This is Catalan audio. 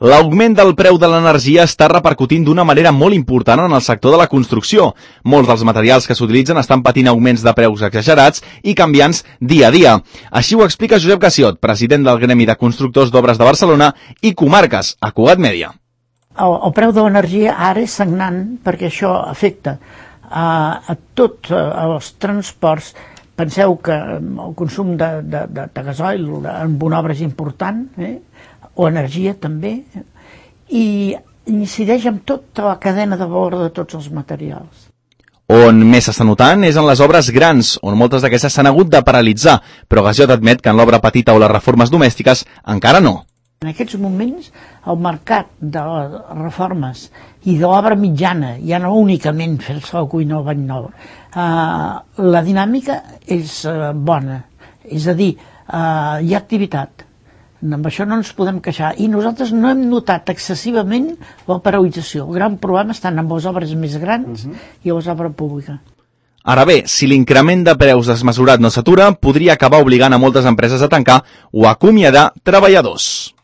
L'augment del preu de l'energia està repercutint d'una manera molt important en el sector de la construcció. Molts dels materials que s'utilitzen estan patint augments de preus exagerats i canviants dia a dia. Així ho explica Josep Gassiot, president del Gremi de Constructors d'Obres de Barcelona i Comarques, a Cugat Mèdia. El preu de l'energia ara és sagnant perquè això afecta a tots els transports. Penseu que el consum de gasoil en una obra és important, o energia també, i incideix en tota la cadena de valor de tots els materials. On més s'està notant és en les obres grans, on moltes d'aquestes s'han hagut de paralitzar, però Gassiot admet que en l'obra petita o les reformes domèstiques encara no. En aquests moments el mercat de les reformes i de l'obra mitjana, ja no únicament fer-se la cuina o el bany nou, la dinàmica és bona, és a dir, hi ha activitat. Amb això no ens podem queixar. I nosaltres no hem notat excessivament la paralització. El gran problema està en les obres més grans i a les obres públiques. Ara bé, si l'increment de preus desmesurat no s'atura, podria acabar obligant a moltes empreses a tancar o a acomiadar treballadors.